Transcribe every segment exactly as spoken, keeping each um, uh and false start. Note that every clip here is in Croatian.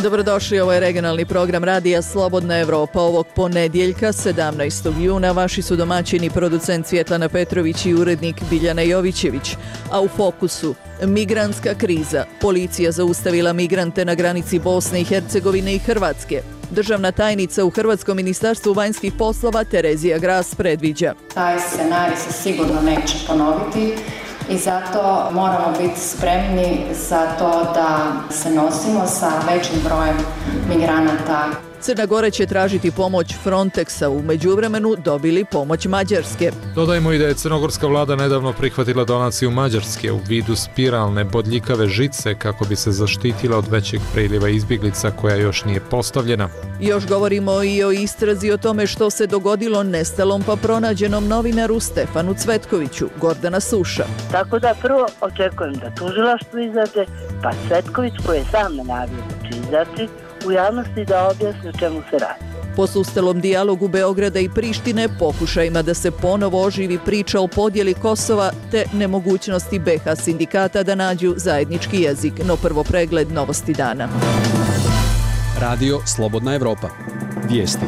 Dobrodošli, ovo je regionalni program Radija Slobodna Evropa. Ovog ponedjeljka, sedamnaestog juna, vaši su domaćini producent Svjetlana Petrović i urednik Biljana Jovićević. A u fokusu migrantska kriza. Policija zaustavila migrante na granici Bosne i Hercegovine i Hrvatske. Državna tajnica u Hrvatskom ministarstvu vanjskih poslova Terezija Gras predviđa: taj scenarij se sigurno neće ponoviti i zato moramo biti spremni za to da se nosimo sa većim brojem migranata. Crna Gora će tražiti pomoć Frontexa, u međuvremenu dobili pomoć Mađarske. Dodajmo i da je crnogorska vlada nedavno prihvatila donaciju Mađarske u vidu spiralne bodljikave žice kako bi se zaštitila od većeg priliva izbjeglica koja još nije postavljena. Još govorimo i o istrazi o tome što se dogodilo nestalom pa pronađenom novinaru Stefanu Cvetkoviću. Gordana Suša. Tako da prvo očekujem da tužilaštvo izađe, pa Cvetković koji je sam najavio da će izaći u javnosti da objasni o čemu se radi. Po sustalom dijalogu Beograda i Prištine, pokušajima da se ponovo oživi priča o podjeli Kosova te nemogućnosti be ha sindikata da nađu zajednički jezik. No prvo pregled novosti dana. Radio Slobodna Evropa. Vijesti.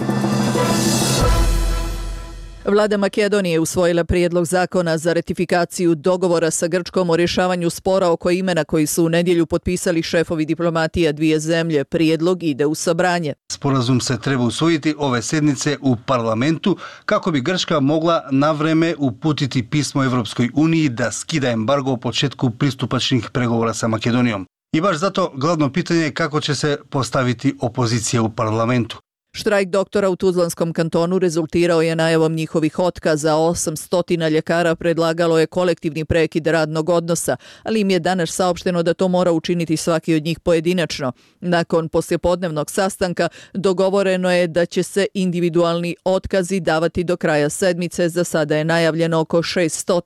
Vlada Makedonije usvojila prijedlog zakona za ratifikaciju dogovora sa Grčkom o rješavanju spora oko imena koji su u nedjelju potpisali šefovi diplomatija dvije zemlje. Prijedlog ide u sabranje. Sporazum se treba usvojiti ove sedmice u parlamentu kako bi Grčka mogla na vreme uputiti pismo Evropskoj uniji da skida embargo o početku pristupačnih pregovora sa Makedonijom. I baš zato glavno pitanje je kako će se postaviti opozicija u parlamentu. Štrajk doktora u Tuzlanskom kantonu rezultirao je najavom njihovih otkaza. osamsto ljekara predlagalo je kolektivni prekid radnog odnosa, ali im je danas saopšteno da to mora učiniti svaki od njih pojedinačno. Nakon poslijepodnevnog sastanka dogovoreno je da će se individualni otkazi davati do kraja sedmice. Za sada je najavljeno oko šeststo.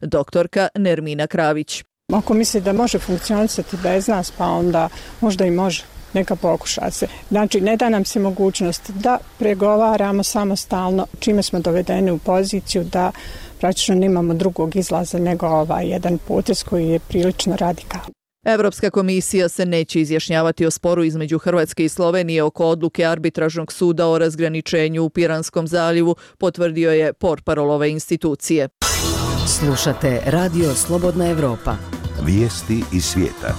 Doktorka Nermina Kravić. Ako misli da može funkcionisati bez nas, pa onda možda i može. Neka pokuša se. Znači, ne da nam se mogućnost da pregovaramo samostalno, čime smo dovedeni u poziciju da praktično nemamo drugog izlaza nego ovaj jedan potez koji je prilično radikalan. Evropska komisija se neće izjašnjavati o sporu između Hrvatske i Slovenije oko odluke arbitražnog suda o razgraničenju u Piranskom zaljevu, potvrdio je portparol ove institucije. Slušate Radio Slobodna Evropa. Vijesti iz svijeta.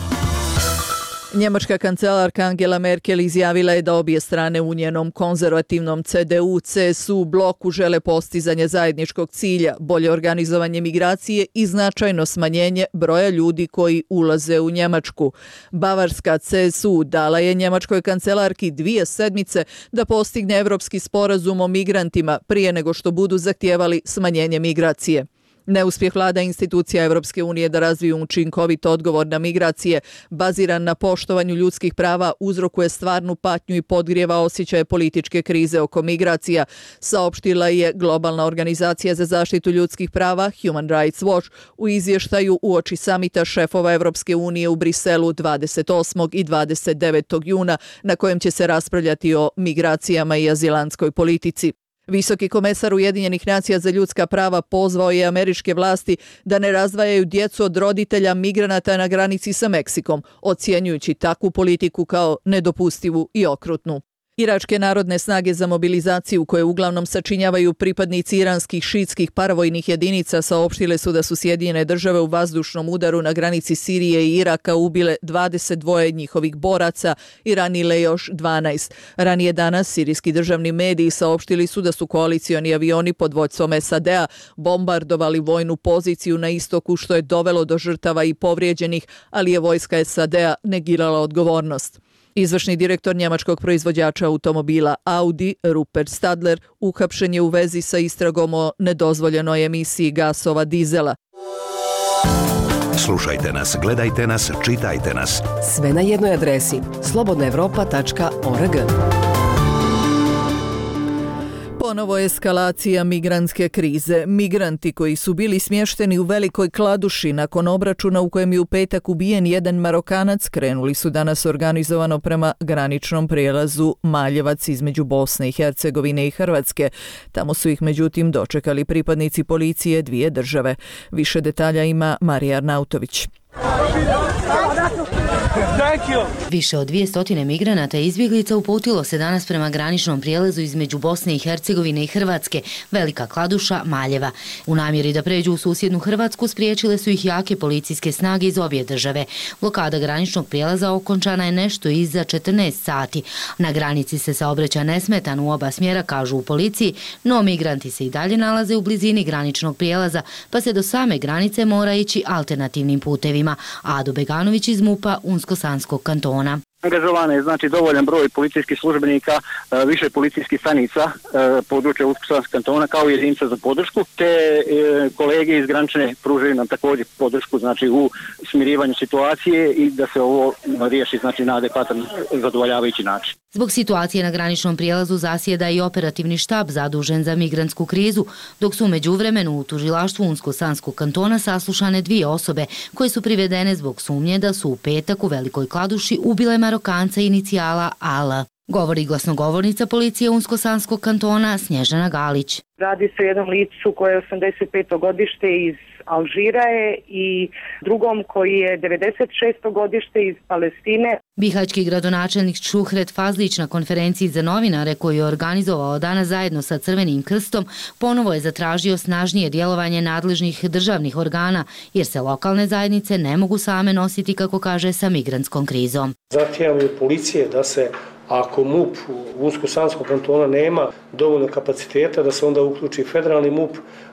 Njemačka kancelarka Angela Merkel izjavila je da obje strane u njenom konzervativnom ce de u ce es u bloku žele postizanje zajedničkog cilja, bolje organizovanje migracije i značajno smanjenje broja ljudi koji ulaze u Njemačku. Bavarska ce es u dala je njemačkoj kancelarki dvije sedmice da postigne evropski sporazum o migrantima prije nego što budu zahtijevali smanjenje migracije. Neuspjeh vlada institucija Evropske unije da razviju učinkovit odgovor na migracije baziran na poštovanju ljudskih prava uzrokuje stvarnu patnju i podgrijeva osjećaje političke krize oko migracija, saopštila je Globalna organizacija za zaštitu ljudskih prava Human Rights Watch u izvještaju uoči samita šefova Evropske unije u Briselu dvadeset osmog i dvadeset devetog juna na kojem će se raspravljati o migracijama i azilantskoj politici. Visoki komesar Ujedinjenih nacija za ljudska prava pozvao je američke vlasti da ne razdvajaju djecu od roditelja migranata na granici sa Meksikom, ocjenjujući takvu politiku kao nedopustivu i okrutnu. Iračke narodne snage za mobilizaciju, koje uglavnom sačinjavaju pripadnici iranskih šiitskih paravojnih jedinica, saopštile su da su Sjedinjene države u vazdušnom udaru na granici Sirije i Iraka ubile dvadeset dva njihovih boraca i ranile još dvanaest. Ranije danas sirijski državni mediji saopštili su da su koalicioni avioni pod vođstvom es a de a bombardovali vojnu poziciju na istoku, što je dovelo do žrtava i povrijeđenih, ali je vojska es a de a negirala odgovornost. Izvršni direktor njemačkog proizvođača automobila Audi, Rupert Stadler, uhapšen je u vezi sa istragom o nedozvoljenoj emisiji gasova dizela. Slušajte nas, gledajte nas, čitajte nas. Sve na jednoj adresi slobodna evropa tačka org. Ponovo eskalacija migrantske krize. Migranti koji su bili smješteni u Velikoj Kladuši nakon obračuna u kojem je u petak ubijen jedan Marokanac krenuli su danas organizovano prema graničnom prijelazu Maljevac između Bosne i Hercegovine i Hrvatske. Tamo su ih međutim dočekali pripadnici policije dvije države. Više detalja ima Marija Arnautović. Više od dvije stotine migranata i izbjeglica uputilo se danas prema graničnom prijelazu između Bosne i Hercegovine i Hrvatske, Velika Kladuša, Maljeva. U namjeri da pređu u susjednu Hrvatsku spriječile su ih jake policijske snage iz obje države. Blokada graničnog prijelaza okončana je nešto iza četrnaest sati. Na granici se saobraća nesmetan u oba smjera, kažu u policiji, no migranti se i dalje nalaze u blizini graničnog prijelaza, pa se do same granice mora ići alternativnim putevima. Ado Beganović iz MUP-a Unsko-Sanskog kantona. Angažovan je znači dovoljan broj policijskih službenika, više policijskih stanica područja Unsko-Sanskog kantona kao jedinica za podršku, te kolege iz granične pružaju nam također podršku znači u smirivanju situacije i da se ovo riješi znači na adekvatan zadovoljavajući način. Zbog situacije na graničnom prijelazu zasjeda i operativni štab zadužen za migrantsku krizu, dok su u međuvremenu u tužilaštvu Unsko-Sanskog kantona saslušane dvije osobe koje su privedene zbog sumnje da su u petak u Velikoj Kladuši ubile Marokanca inicijala A L. Govori glasnogovornica policije Unsko-Sanskog kantona Snježana Galić. Radi se o jednom licu koje je osamdeset peto godište iz Alžira je i drugom koji je devedeset šesto godište iz Palestine. Bihaćki gradonačelnik Šuhret Fazlić na konferenciji za novinare koju je organizovao danas zajedno sa Crvenim krstom ponovo je zatražio snažnije djelovanje nadležnih državnih organa jer se lokalne zajednice ne mogu same nositi, kako kaže, sa migrantskom krizom. Zahtijevamo od policije da se, ako MUP u Unsko-Sanskog kantona nema dovoljno kapaciteta, da se onda uključi federalni MUP,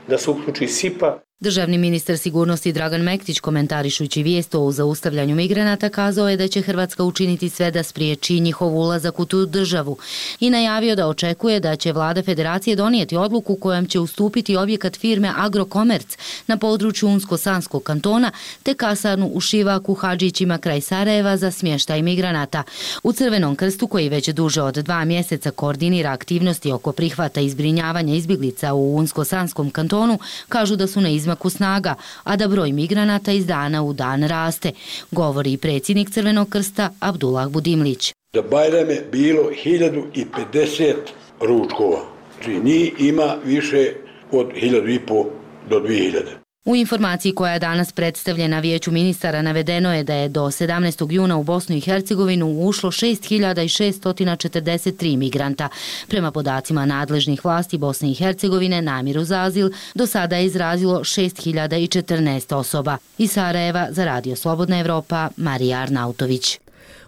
da se uključi S I P A. Državni ministar sigurnosti Dragan Mektić, komentarišući vijest o zaustavljanju migranata, kazao je da će Hrvatska učiniti sve da spriječi njihov ulazak u tu državu i najavio da očekuje da će vlada federacije donijeti odluku kojom će ustupiti objekat firme Agrokomerc na području Unsko-Sanskog kantona te kasarnu u Šivaku Hadžićima kraj Sarajeva za smještaj migranata. U Crvenom krstu, koji već duže od dva mjeseca koordinira aktivnosti oko prihvata i zbrinjavanja izbjeglica u Unsko-Sanskom kantonu, kažu da su na izmaku snaga, a da broj migranata iz dana u dan raste, govori i predsjednik Crvenog krsta Abdullah Budimlić. Za Bajram je bilo hiljadu pedeset ručkova, znači njih ima više od hiljadu i po do dvije hiljade. U informaciji koja je danas predstavljena Vijeću ministara navedeno je da je do sedamnaestog juna u Bosnu i Hercegovinu ušlo šest hiljada šeststo četrdeset tri migranta. Prema podacima nadležnih vlasti Bosne i Hercegovine, namjeru za azil do sada je izrazilo šest hiljada četrnaest osoba. Iz Sarajeva za Radio Slobodna Evropa, Marija Arnautović.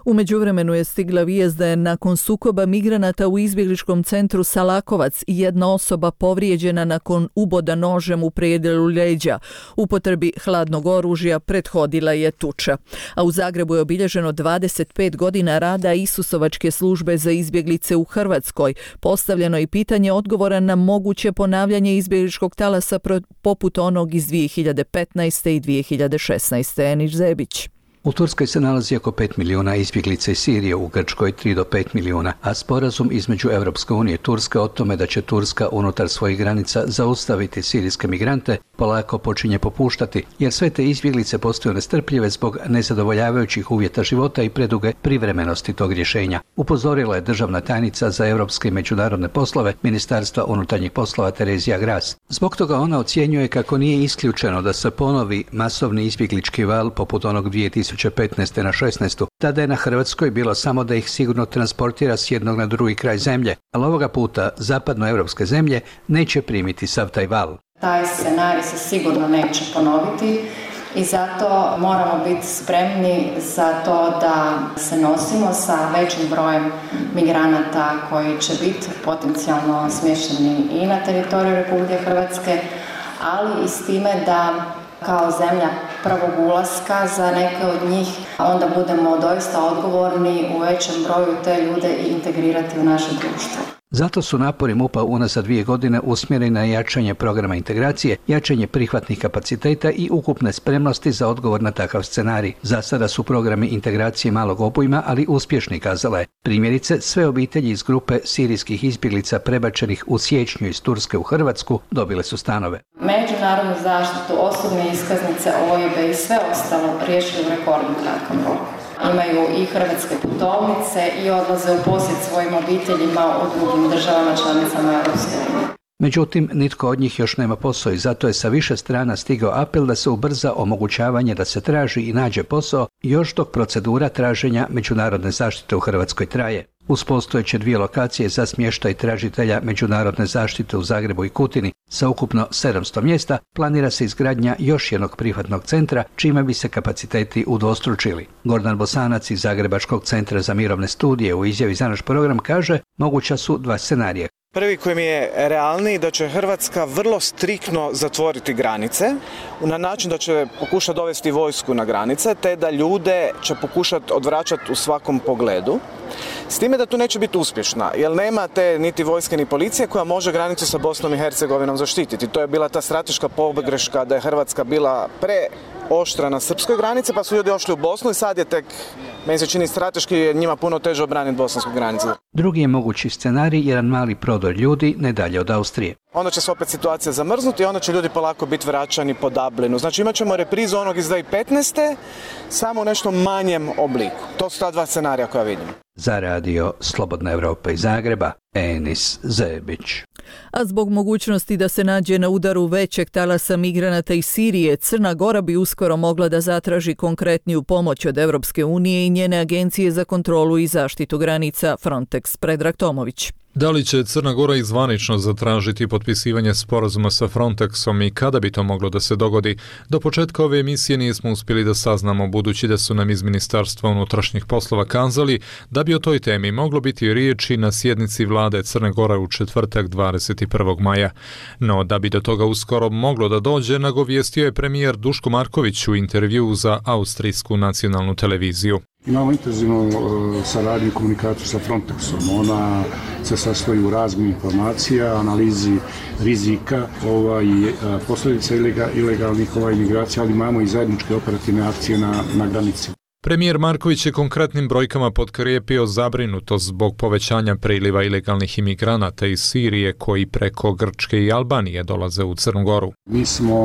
U međuvremenu je stigla vijest da je nakon sukoba migranata u izbjegličkom centru Salakovac jedna osoba povrijeđena nakon uboda nožem u predjelu leđa. Upotrebi hladnog oružja prethodila je tuča. A u Zagrebu je obilježeno dvadeset pet godina rada Isusovačke službe za izbjeglice u Hrvatskoj. Postavljeno je pitanje odgovora na moguće ponavljanje izbjegličkog talasa poput onog iz dvije hiljade petnaeste i dvije hiljade šesnaeste. Enić Zebić. U Turskoj se nalazi oko pet milijuna izbjeglica iz Sirije, u Grčkoj tri do pet milijuna, a sporazum između Europske unije i Turske o tome da će Turska unutar svojih granica zaustaviti sirijske migrante polako počinje popuštati, jer sve te izbjeglice postaju nestrpljive zbog nezadovoljavajućih uvjeta života i preduge privremenosti tog rješenja. Upozorila je državna tajnica za europske i međunarodne poslove Ministarstva unutarnjih poslova Terezija Gras. Zbog toga ona ocjenjuje kako nije isključeno da se ponovi masovni izbjeglički val poput onog dvije tisuće petnaeste na šesnaestu. Tada je na Hrvatskoj bilo samo da ih sigurno transportira s jednog na drugi kraj zemlje, ali ovoga puta zapadnoevropske zemlje neće primiti sav taj val. Taj scenarij se sigurno neće ponoviti i zato moramo biti spremni za to da se nosimo sa većim brojem migranata koji će biti potencijalno smješteni i na teritoriju Republike Hrvatske, ali i s time da kao zemlja prvog ulaska za neke od njih onda budemo doista odgovorni u većem broju te ljude i integrirati u naše društvo. Zato su napori MUP-a unazad dvije godine usmjereni na jačanje programa integracije, jačanje prihvatnih kapaciteta i ukupne spremnosti za odgovor na takav scenarij. Za sada su programi integracije malog obujma, ali uspješni, kazala je. Primjerice, sve obitelji iz grupe sirijskih izbjeglica prebačenih u siječnju iz Turske u Hrvatsku dobile su stanove. Međunarodnu zaštitu, osobne iskaznice, O I B i sve ostalo riješili u rekordno kratkom roku. Imaju i hrvatske putovnice i odlaze u posjet svojim obiteljima u drugim državama članicama Europske unije. Međutim, nitko od njih još nema posao i zato je sa više strana stigao apel da se ubrza omogućavanje da se traži i nađe posao još dok procedura traženja međunarodne zaštite u Hrvatskoj traje. Uz postojeće dvije lokacije za smještaj tražitelja međunarodne zaštite u Zagrebu i Kutini sa ukupno sedamsto mjesta planira se izgradnja još jednog prihvatnog centra čime bi se kapaciteti udvostručili. Gordan Bosanac iz Zagrebačkog centra za mirovne studije u izjavi za naš program kaže moguća su dva scenarija. Prvi koji mi je realniji da će Hrvatska vrlo striktno zatvoriti granice na način da će pokušati dovesti vojsku na granice te da ljude će pokušati odvraćati u svakom pogledu. S time da tu neće biti uspješna, jer nema te niti vojske ni policije koja može granicu sa Bosnom i Hercegovinom zaštititi. To je bila ta strateška pogreška da je Hrvatska bila preoštra na srpskoj granici pa su ljudi ošli u Bosnu i sad je tek, meni se čini strateški, je njima puno teže obraniti bosansku granicu. Drugi je mogući scenarij jedan mali prodor ljudi ne dalje od Austrije. Onda će se opet situacija zamrznuti i onda će ljudi polako biti vraćani po Dublinu. Znači imat ćemo reprizu onog iz dvije tisuće petnaeste samo u nešto manjem obliku. To su ta dva scenarija koja vidim. Za radio Slobodna Evropa iz Zagreba, Enis Zebić. A zbog mogućnosti da se nađe na udaru većeg talasa migranata iz Sirije, Crna Gora bi uskoro mogla da zatraži konkretniju pomoć od Evropske unije i njene agencije za kontrolu i zaštitu granica Frontex. Predrag Tomović. Da li će Crna Gora izvanično zatražiti potpisivanje sporazuma sa Frontexom i kada bi to moglo da se dogodi? Do početka ove emisije nismo uspjeli da saznamo, budući da su nam iz Ministarstva unutrašnjih poslova kazali da bi o toj temi moglo biti riječi na sjednici vlade Crne Gore u četvrtak dvadeset prvog maja. No, da bi do toga uskoro moglo da dođe, nagovijestio je premijer Duško Marković u intervjuu za austrijsku nacionalnu televiziju. Imamo intenzivnu uh, saradnju i komunikaciju sa Frontexom. Ona se sastoji u razmjeni informacija, analizi rizika ovaj, uh, posljedica ilega, ilegalnih ovaj, migracija, ali imamo i zajedničke operativne akcije na, na granici. Premijer Marković je konkretnim brojkama potkrijepio zabrinutost zbog povećanja priliva ilegalnih imigranata iz Sirije koji preko Grčke i Albanije dolaze u Crnu Goru. Mi smo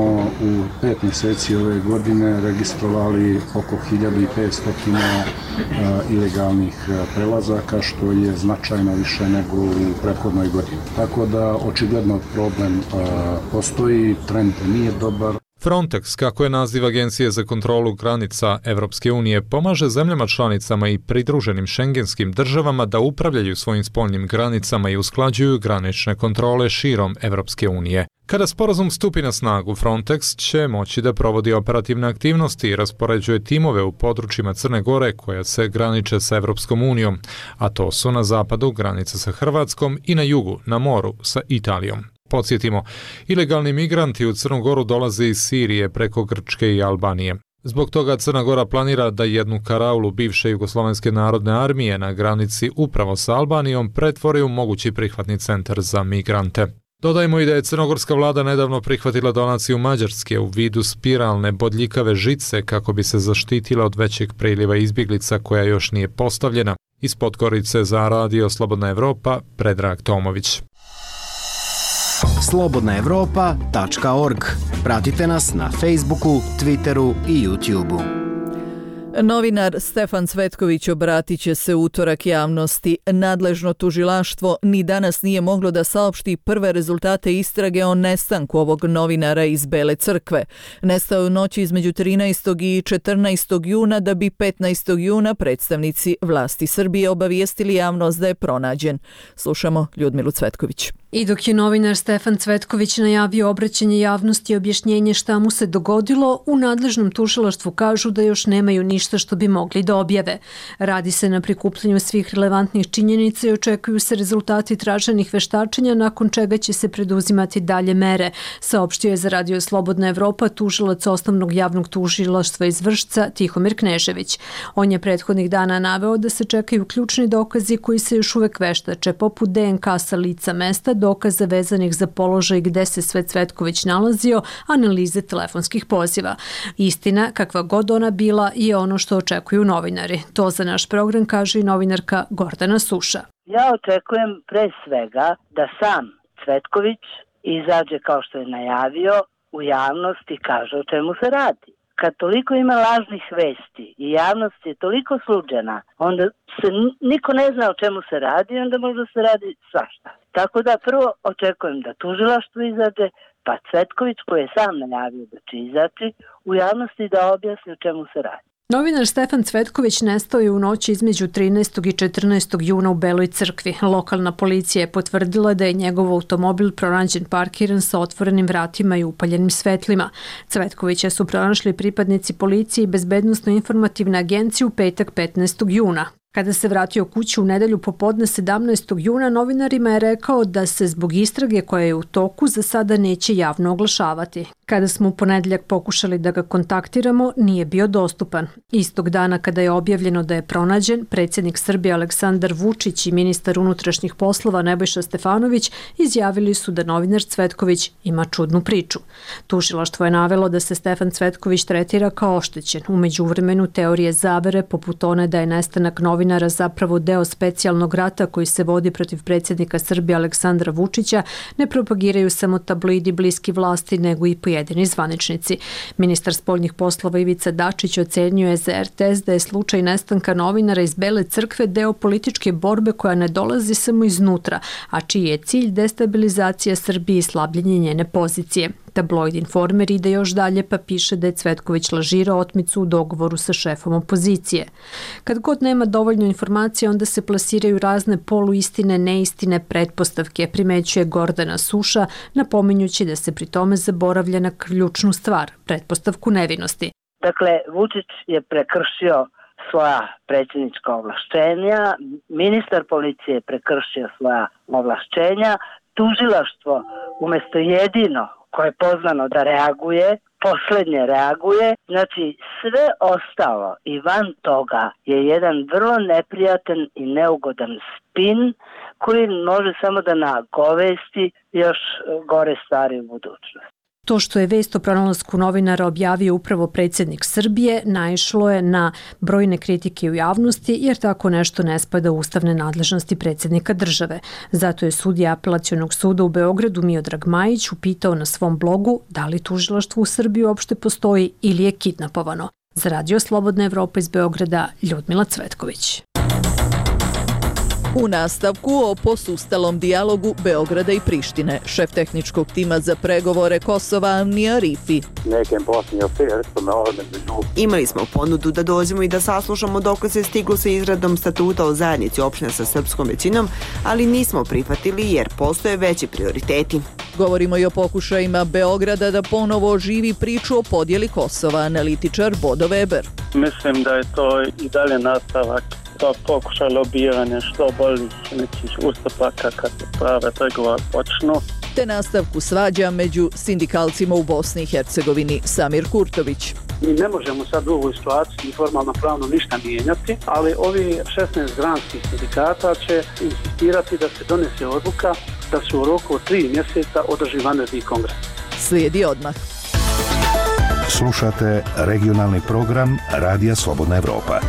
u pet mjeseci ove godine registrovali oko hiljadu petsto uh, ilegalnih prelazaka, što je značajno više nego u prethodnoj godini. Tako da očigledno problem uh, postoji, trend nije dobar. Frontex, kako je naziv Agencije za kontrolu granica Evropske unije, pomaže zemljama članicama i pridruženim šengenskim državama da upravljaju svojim spoljnim granicama i usklađuju granične kontrole širom Evropske unije. Kada sporazum stupi na snagu, Frontex će moći da provodi operativne aktivnosti i raspoređuje timove u područjima Crne Gore koja se graniče sa Evropskom unijom, a to su na zapadu granica sa Hrvatskom i na jugu, na moru, sa Italijom. Podsjetimo, ilegalni migranti u Crnu Goru dolaze iz Sirije preko Grčke i Albanije. Zbog toga Crna Gora planira da jednu karaulu bivše Jugoslovenske narodne armije na granici upravo sa Albanijom pretvori u mogući prihvatni centar za migrante. Dodajmo i da je crnogorska vlada nedavno prihvatila donaciju Mađarske u vidu spiralne bodljikave žice kako bi se zaštitila od većeg priliva izbjeglica koja još nije postavljena. Iz Podgorice za radio Slobodna Evropa, Predrag Tomović. slobodna evropa tačka org. Pratite nas na Facebooku, Twitteru i YouTubeu. Novinar Stefan Cvetković obratit će se utorak javnosti. Nadležno tužilaštvo ni danas nije moglo da saopšti prve rezultate istrage o nestanku ovog novinara iz Bele crkve. Nestao je u noći između trinaestog i četrnaestog juna, da bi petnaestog juna predstavnici vlasti Srbije obavijestili javnost da je pronađen. Slušamo Ljudmilu Cvetković. I dok je novinar Stefan Cvetković najavio obraćanje javnosti i objašnjenje šta mu se dogodilo, u nadležnom tužilaštvu kažu da još nemaju ništa što bi mogli da objave. Radi se na prikupljanju svih relevantnih činjenica i očekuju se rezultati traženih veštačenja, nakon čega će se preduzimati dalje mere, saopštio je za radio Slobodna Evropa tužilac osnovnog javnog tužilaštva iz Vršca Tihomir Knežević. On je prethodnih dana naveo da se čekaju ključni dokazi koji se još uvek veštače, poput D N K sa lica mesta, dokaza vezanih za položaj gde se sve Cvetković nalazio, analize telefonskih poziva. Istina, kakva god ona bila, je ono što očekuju novinari. To za naš program kaže i novinarka Gordana Suša. Ja očekujem pre svega da sam Cvetković izađe kao što je najavio u javnost i kaže o čemu se radi. kad toliko ima lažnih vesti i javnost je toliko sluđena, onda se niko ne zna o čemu se radi, onda možda se radi svašta. Tako da prvo očekujem da tužilaštvo izađe, pa Cvetković koji je sam najavio da će izaći u javnosti da objasni o čemu se radi. Novinar Stefan Cvetković nestao je u noći između trinaestog i četrnaestog juna u Beloj crkvi. Lokalna policija je potvrdila da je njegov automobil pronađen parkiran sa otvorenim vratima i upaljenim svetlima. Cvetkovića su pronašli pripadnici policije i bezbednosno-informativne agencije u petak petnaestog juna. Kada se vratio kući u nedelju popodne sedamnaestog juna, novinarima je rekao da se zbog istrage koja je u toku za sada neće javno oglašavati. Kada smo u ponedeljak pokušali da ga kontaktiramo, nije bio dostupan. Istog dana kada je objavljeno da je pronađen, predsjednik Srbije Aleksandar Vučić i ministar unutrašnjih poslova Nebojša Stefanović izjavili su da novinar Cvetković ima čudnu priču. Tužilaštvo je navelo da se Stefan Cvetković tretira kao oštećen. U međuvremenu teorije zavere, poput one da je nestanak novinara zapravo deo specijalnog rata koji se vodi protiv predsjednika Srbije Aleksandra Vučića, ne propagiraju samo tabloidi bliski vlasti, nego i pojedini zvaničnici. Ministar spoljnih poslova Ivica Dačić ocenio je za er te es da je slučaj nestanka novinara iz Bele crkve deo političke borbe koja ne dolazi samo iznutra, a čiji je cilj destabilizacija Srbije i slabljenje njene pozicije. Tabloid Informer ide još dalje pa piše da je Cvetković lažirao otmicu u dogovoru sa šefom opozicije. Kad god nema dovoljno informacija, onda se plasiraju razne poluistine, neistine, pretpostavke, primećuje Gordana Suša, napominjući da se pri tome zaboravlja na ključnu stvar, pretpostavku nevinosti. Dakle, Vučić je prekršio svoja predsjednička ovlašćenja, ministar policije je prekršio svoja ovlašćenja, tužilaštvo umjesto jedino koje je poznano da reaguje, posljednje reaguje, znači sve ostalo i van toga je jedan vrlo neprijatan i neugodan spin koji može samo da nagovesti još gore stvari u budućnosti. To što je vest o pronalasku novinara objavio upravo predsjednik Srbije naišlo je na brojne kritike u javnosti jer tako nešto ne spada u ustavne nadležnosti predsjednika države. Zato je sudija Apelacionog suda u Beogradu Miodrag Majić upitao na svom blogu da li tužilaštvo u Srbiji uopšte postoji ili je kidnapovano. Za Radio Slobodna Evropa iz Beograda, Ljudmila Cvetković. U nastavku o posustalom dijalogu Beograda i Prištine, šef tehničkog tima za pregovore Kosova Amnija Rifi. Imali smo ponudu da dođemo i da saslušamo dok se stiglo sa izradom statuta o zajednici opština sa srpskom većinom, ali nismo prihvatili jer postoje veći prioriteti. Govorimo i o pokušajima Beograda da ponovo oživi priču o podjeli Kosova, analitičar Bodo Weber. Mislim da je to i dalje nastavak to pokušaj lobiranja što boljih nekih ustupaka kad se prave pregovore počnu. Te nastavku svađa među sindikalcima u Bosni i Hercegovini. Samir Kurtović. Mi ne možemo sad u ovoj situaciji formalno pravno ništa mijenjati, ali ovi šesnaest granskih sindikata će insistirati da se donese odluka da se u roku od tri mjeseca održi vanredni kongres. Slijedi odmah. Slušate regionalni program Radija Slobodna Evropa.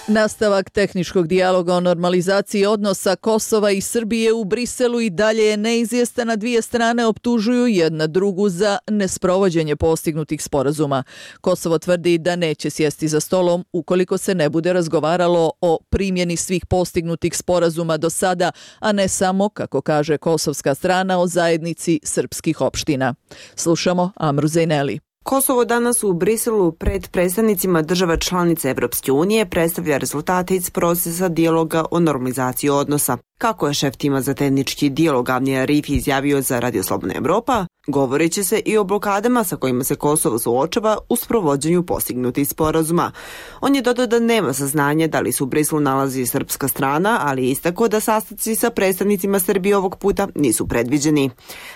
Nastavak tehničkog dijaloga o normalizaciji odnosa Kosova i Srbije u Briselu i dalje je neizvjestan, a dvije strane optužuju jedna drugu za nesprovođenje postignutih sporazuma. Kosovo tvrdi da neće sjesti za stolom ukoliko se ne bude razgovaralo o primjeni svih postignutih sporazuma do sada, a ne samo, kako kaže kosovska strana, o zajednici srpskih opština. Slušamo Amru Zejneli. Kosovo danas u Briselu pred predstavnicima država članica Evropske unije predstavlja rezultate iz procesa dijaloga o normalizaciji odnosa. Kako je šef tima za tehnički dijalog Amnija Rifi izjavio za Radio Slobodna Evropa, govorit će se i o blokadama sa kojima se Kosovo suočava u sprovođenju postignutih sporazuma. On je dodao da nema saznanja da li se u Briselu nalazi srpska strana, ali istako da sastanci sa predstavnicima Srbije ovog puta nisu predviđeni.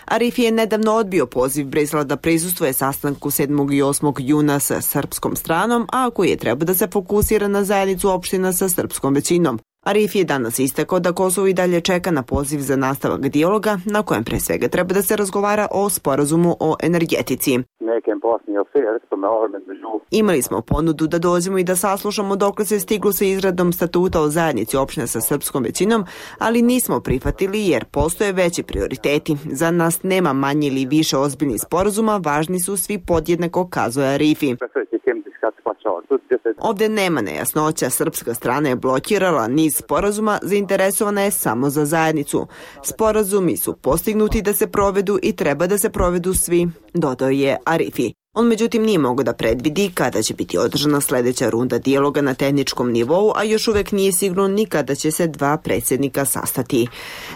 A Rifi je nedavno odbio poziv Brisela da prisustvuje sastanku sedmog i osmog juna sa srpskom stranom, a koji je treba da se fokusira na zajednicu opština sa srpskom većinom. Arifi je danas istakao da Kosovo i dalje čeka na poziv za nastavak dijaloga, na kojem pre svega treba da se razgovara o sporazumu o energetici. Imali smo ponudu da dođemo i da saslušamo dokle se stiglo sa izradom statuta o zajednici opština sa srpskom većinom, ali nismo prihvatili jer postoje veći prioriteti. Za nas nema manje ili više ozbiljnih sporazuma, važni su svi podjednako, kazuje Arifi. Ovde nema nejasnoća, srpska strana je blokirala niz sporazuma, zainteresovana je samo za zajednicu. Sporazumi su postignuti da se provedu i treba da se provedu svi, dodao je Arifi. On međutim nije mogao da predvidi kada će biti održana sledeća runda dijaloga na tehničkom nivou, a još uvek nije sigurno ni kada će se dva predsjednika sastati.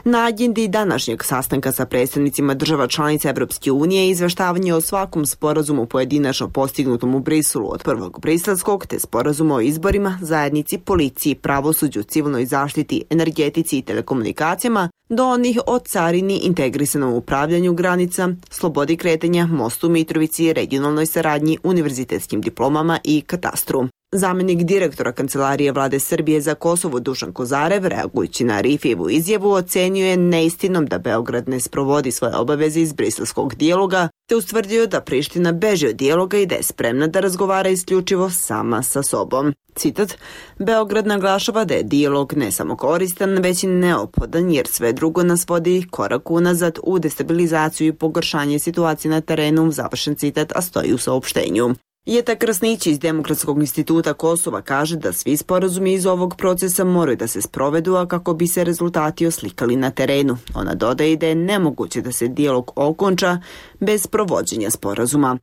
Na agendi današnjeg sastanka sa predstavnicima država članica Evropske unije izveštavanje o svakom sporazumu pojedinačno postignutom u Briselu, od prvog briselskog te sporazuma o izborima, zajednici, policiji, pravosuđu, civilnoj zaštiti, energetici i telekomunikacijama, do onih o carini, integrisanom upravljanju granica, slobodi kretanja, mostu Mitrovici, regionalnoj saradnji, univerzitetskim diplomama i katastru. Zamenik direktora Kancelarije Vlade Srbije za Kosovo Dušan Kozarev, reagujući na Arifijevu izjavu, ocenio je neistinom da Beograd ne sprovodi svoje obaveze iz briselskog dijaloga, te ustvrdio da Priština beži od dijaloga i da je spremna da razgovara isključivo sama sa sobom. Citat, Beograd naglašava da je dijalog ne samo koristan, već i neophodan jer sve drugo nas vodi korak unazad u destabilizaciju i pogoršanje situacije na terenu, završen citat, a stoji u saopštenju. Jeta Krasnić iz Demokratskog instituta Kosova kaže da svi sporazumi iz ovog procesa moraju da se sprovedu, a kako bi se rezultati oslikali na terenu. Ona dodaje da je nemoguće da se dijalog okonča bez provođenja sporazuma.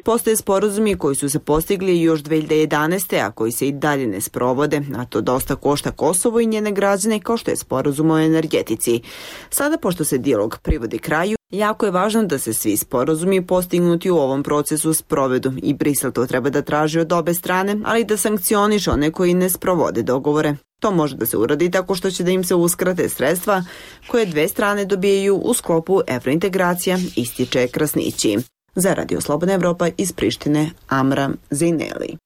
Postoje sporazumi koji su se postigli još dve hiljade jedanaeste. a koji se i dalje ne sprovode, a to dosta košta Kosovo i njene građane, kao što je sporazum o energetici. Sada, pošto se dijalog privodi kraju, jako je važno da se svi sporazumi postignuti u ovom procesu sprovedu i Brisel to treba da traži od obe strane, ali da sankcioniše one koji ne sprovode dogovore. To može da se uradi tako što će da im se uskrate sredstva koje dve strane dobijaju u sklopu evrointegracija, ističe Krasnići. Za Radio Slobodna Evropa iz Prištine, Amra Zejneli.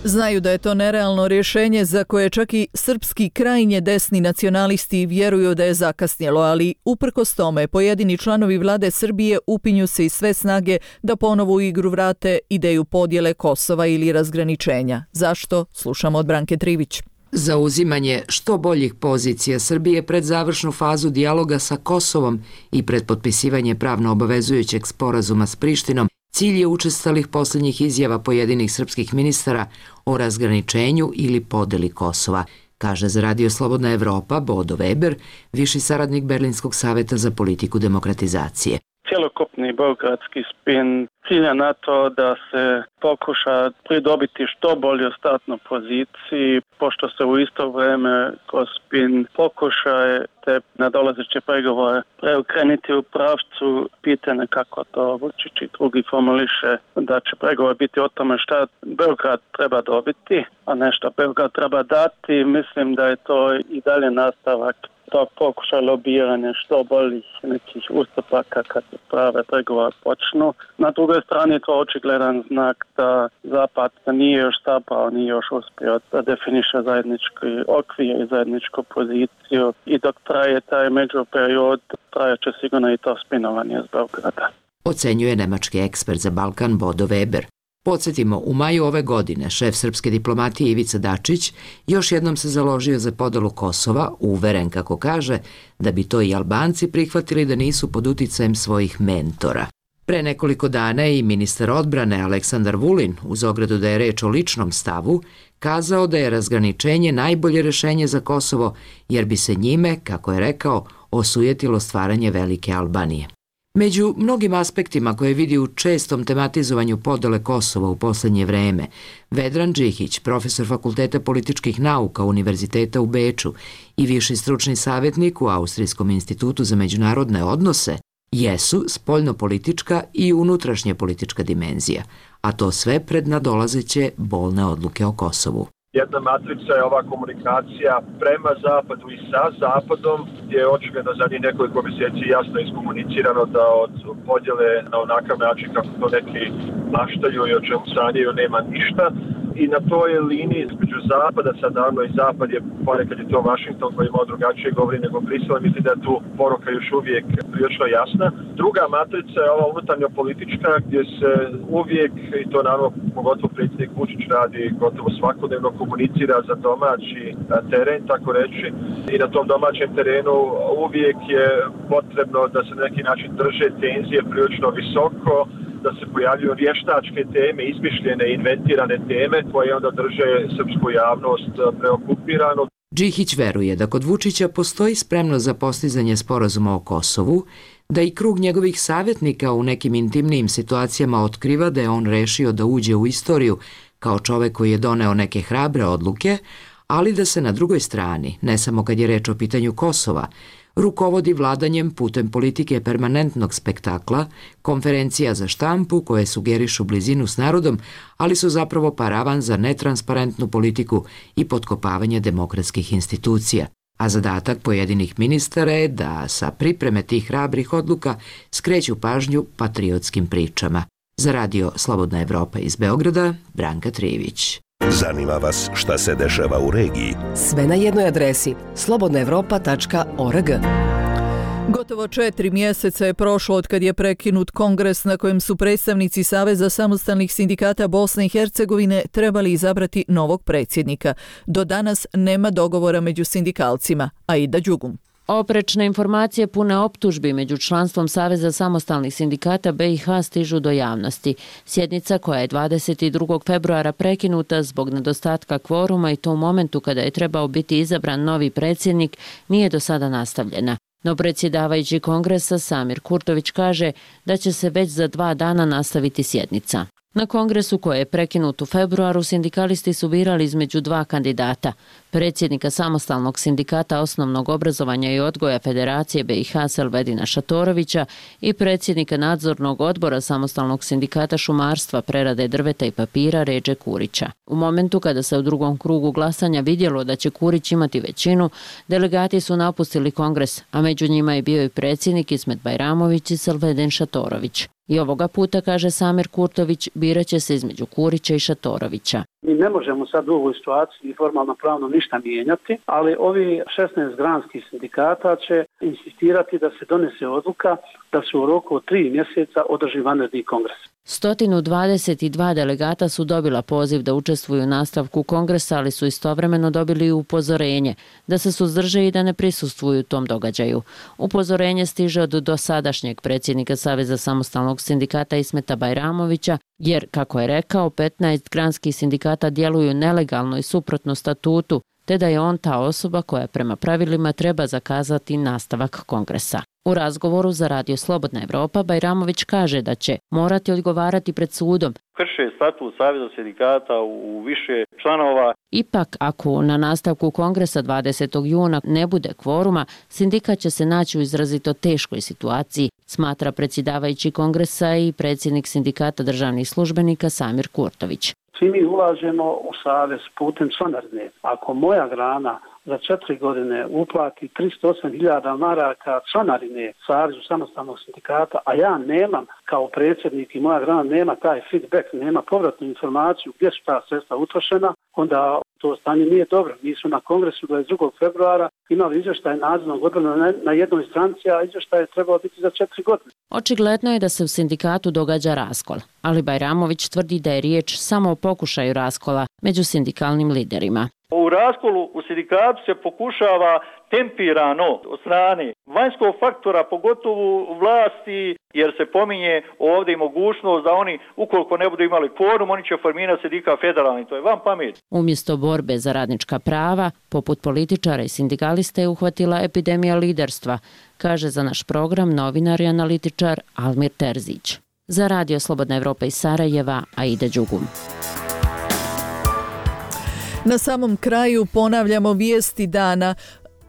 Znaju da je to nerealno rješenje za koje čak i srpski krajnje desni nacionalisti vjeruju da je zakasnjelo, ali uprkos tome pojedini članovi vlade Srbije upinju se i sve snage da ponovo u igru vrate ideju podjele Kosova ili razgraničenja. Zašto? Slušamo od Branke Trivić. Zauzimanje što boljih pozicija Srbije pred završnu fazu dijaloga sa Kosovom i pred potpisivanje pravno obavezujućeg sporazuma s Prištinom cilj je učestalih posljednjih izjava pojedinih srpskih ministara o razgraničenju ili podeli Kosova, kaže za Radio Slobodna Evropa Bodo Weber, viši saradnik Berlinskog saveta za politiku demokratizacije. Cjelokupni beogradski spin cilja na to da se pokuša pridobiti što bolju startnu poziciji, pošto se u isto vrijeme kroz spin pokušaje te nadolazeće pregovore preokrenuti u pravcu pitanja kako to Vučić i drugi formuliše da će pregovor biti o tome šta Beograd treba dobiti, a ne šta Beograd treba dati. Mislim da je to i dalje nastavak tog pokušaj lobiranja što boljih nekih ustupaka kad se prave pregovore počnu. Na drugoj strani je to očigledan znak da Zapad nije još stapao, nije još uspio da definiše zajednički okvir i zajedničku poziciju i dok traje taj međuperiod, traje će sigurno i to spinovanje iz Beograda. Ocenjuje nemački ekspert za Balkan Bodo Weber. Podsjetimo, u maju ove godine šef srpske diplomatije Ivica Dačić još jednom se založio za podelu Kosova, uveren, kako kaže, da bi to i Albanci prihvatili da nisu pod uticajem svojih mentora. Pre nekoliko dana je i ministar odbrane Aleksandar Vulin, uz ogradu da je reč o ličnom stavu, kazao da je razgraničenje najbolje rešenje za Kosovo, jer bi se njime, kako je rekao, osujetilo stvaranje velike Albanije. Među mnogim aspektima koje vidi u čestom tematizovanju podele Kosova u posljednje vreme, Vedran Džihić, profesor Fakulteta političkih nauka Univerziteta u Beču i viši stručni savjetnik u Austrijskom institutu za međunarodne odnose, jesu spoljnopolitička i unutrašnja politička dimenzija, a to sve pred nadolazeće bolne odluke o Kosovu. Jedna matrica je ova komunikacija prema Zapadu i sa Zapadom, gdje je očigledno za njih nekoliko mjeseci jasno iskomunicirano da od podjele na onakav način kako to neki maštaju i o čemu sanjaju nema ništa. i na toj liniji između zapada, sad naravno i zapad je, ponekad je to Washington koji malo drugačije govori nego Brisel, mislim da je tu poruka još uvijek prilično jasna. Druga matrica je ova unutarnjo politička gdje se uvijek, i to naravno pogotovo predsjednik Vučić radi gotovo svakodnevno, komunicira za domaći teren, tako reći, i na tom domaćem terenu uvijek je potrebno da se na neki način drže tenzije prilično visoko, da se pojavljuju vještačke teme, izmišljene, inventirane teme koje onda drže srpsku javnost preokupiranu. Džihić veruje da kod Vučića postoji spremnost za postizanje sporazuma o Kosovu, da i krug njegovih savjetnika u nekim intimnijim situacijama otkriva da je on rešio da uđe u istoriju kao čovek koji je doneo neke hrabre odluke, ali da se na drugoj strani, ne samo kad je reč o pitanju Kosova, rukovodi vladanjem putem politike permanentnog spektakla, konferencija za štampu koje sugerišu blizinu s narodom, ali su zapravo paravan za netransparentnu politiku i potkopavanje demokratskih institucija. A zadatak pojedinih ministara je da sa pripreme tih hrabrih odluka skreću pažnju patriotskim pričama. Za radio Slobodna Evropa iz Beograda, Branka Trijević. Zanima vas šta se dešava u regiji? Sve na jednoj adresi slobodna evropa tačka org. Gotovo četiri mjeseca je prošlo od kad je prekinut kongres na kojem su predstavnici Saveza samostalnih sindikata Bosne i Hercegovine trebali izabrati novog predsjednika. Do danas nema dogovora među sindikalcima. Aida Đugum. Oprečne informacije pune optužbi među članstvom Saveza samostalnih sindikata B i H stižu do javnosti. Sjednica koja je dvadeset drugog februara prekinuta zbog nedostatka kvoruma i to u momentu kada je trebao biti izabran novi predsjednik nije do sada nastavljena. No predsjedavajući kongresa Samir Kurtović kaže da će se već za dva dana nastaviti sjednica. Na kongresu koji je prekinut u februaru sindikalisti su birali između dva kandidata, predsjednika samostalnog sindikata osnovnog obrazovanja i odgoja Federacije B i H Selvedina Šatorovića i predsjednika nadzornog odbora samostalnog sindikata šumarstva, prerade drveta i papira Redže Kurića. U momentu kada se u drugom krugu glasanja vidjelo da će Kurić imati većinu, delegati su napustili kongres, a među njima je bio i predsjednik Ismet Bajramović i Selvedin Šatorović. I ovoga puta, kaže Samir Kurtović, birat će se između Kurića i Šatorovića. Mi ne možemo sad u ovoj situaciji formalno pravno ništa mijenjati, ali ovi šesnaest granskih sindikata će insistirati da se donese odluka da se u roku od tri mjeseca održi vanredni kongres. sto dvadeset dva delegata su dobila poziv da učestvuju u nastavku kongresa, ali su istovremeno dobili upozorenje da se suzdrže i da ne prisustvuju tom događaju. Upozorenje stiže od dosadašnjeg predsjednika Saveza samostalnog sindikata Ismeta Bajramovića, jer, kako je rekao, petnaest granskih sindikata djeluju nelegalno i suprotno statutu, te da je on ta osoba koja prema pravilima treba zakazati nastavak kongresa. U razgovoru za radio Slobodna Evropa Bajramović kaže da će morati odgovarati pred sudom. Krše statut Saveza sindikata u više članova. Ipak, ako na nastavku kongresa dvadesetog juna ne bude kvoruma, sindikat će se naći u izrazito teškoj situaciji, smatra predsjedavajući kongresa i predsjednik sindikata državnih službenika Samir Kurtović. Svi mi ulažemo u savez putem članarine. Ako moja grana za četiri godine uplati tristo osam hiljada maraka članarine Savezu samostalnog sindikata, a ja nemam kao predsjednik i moja grana nema taj feedback, nema povratnu informaciju gdje su ta sredstva utrošena, onda to stanje nije dobro. Mi su na kongresu dvadeset drugog februara imali izvještaj nadzornog odbora na jednoj stranici, a izvještaj je trebao biti za četiri godine. Očigledno je da se u sindikatu događa raskol, ali Bajramović tvrdi da je riječ samo o pokušaju raskola među sindikalnim liderima. U raskolu u sindikatu se pokušava tempirano od strane vanjskog faktora, pogotovo vlasti, jer se pominje ovdje i mogućnost da oni, ukoliko ne budu imali kvorum, oni će formirati sindikat federalni. To je van pamet. Umjesto borbe za radnička prava, poput političara i sindikalista je uhvatila epidemija liderstva, kaže za naš program novinar i analitičar Almir Terzić. Za radio Slobodna Evropa iz Sarajeva, Aida Đugum. Na samom kraju ponavljamo vijesti dana.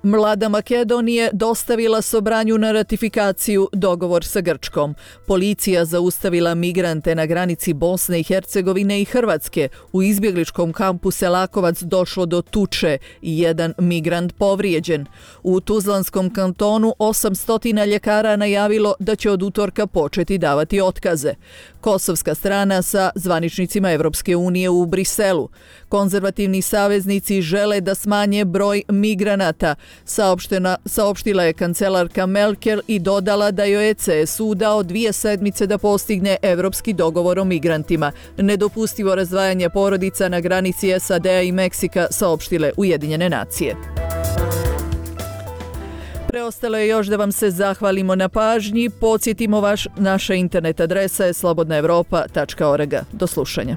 Vlada Makedonije dostavila Sobranju na ratifikaciju dogovor sa Grčkom. Policija zaustavila migrante na granici Bosne i Hercegovine i Hrvatske. U izbjegličkom kampu Selakovac došlo do tuče i jedan migrant povrijeđen. U Tuzlanskom kantonu osamsto ljekara najavilo da će od utorka početi davati otkaze. Kosovska strana sa zvaničnicima Evropske unije u Briselu. Konzervativni saveznici žele da smanje broj migranata. Saopštena, saopštila je kancelarka Merkel i dodala da joj je C S U dao dvije sedmice da postigne evropski dogovor o migrantima. Nedopustivo razdvajanje porodica na granici S A D-a i Meksika, saopštile Ujedinjene nacije. Preostalo je još da vam se zahvalimo na pažnji. Podsjetimo vaš, naša internet adresa je slobodna evropa tačka org. Do slušanja.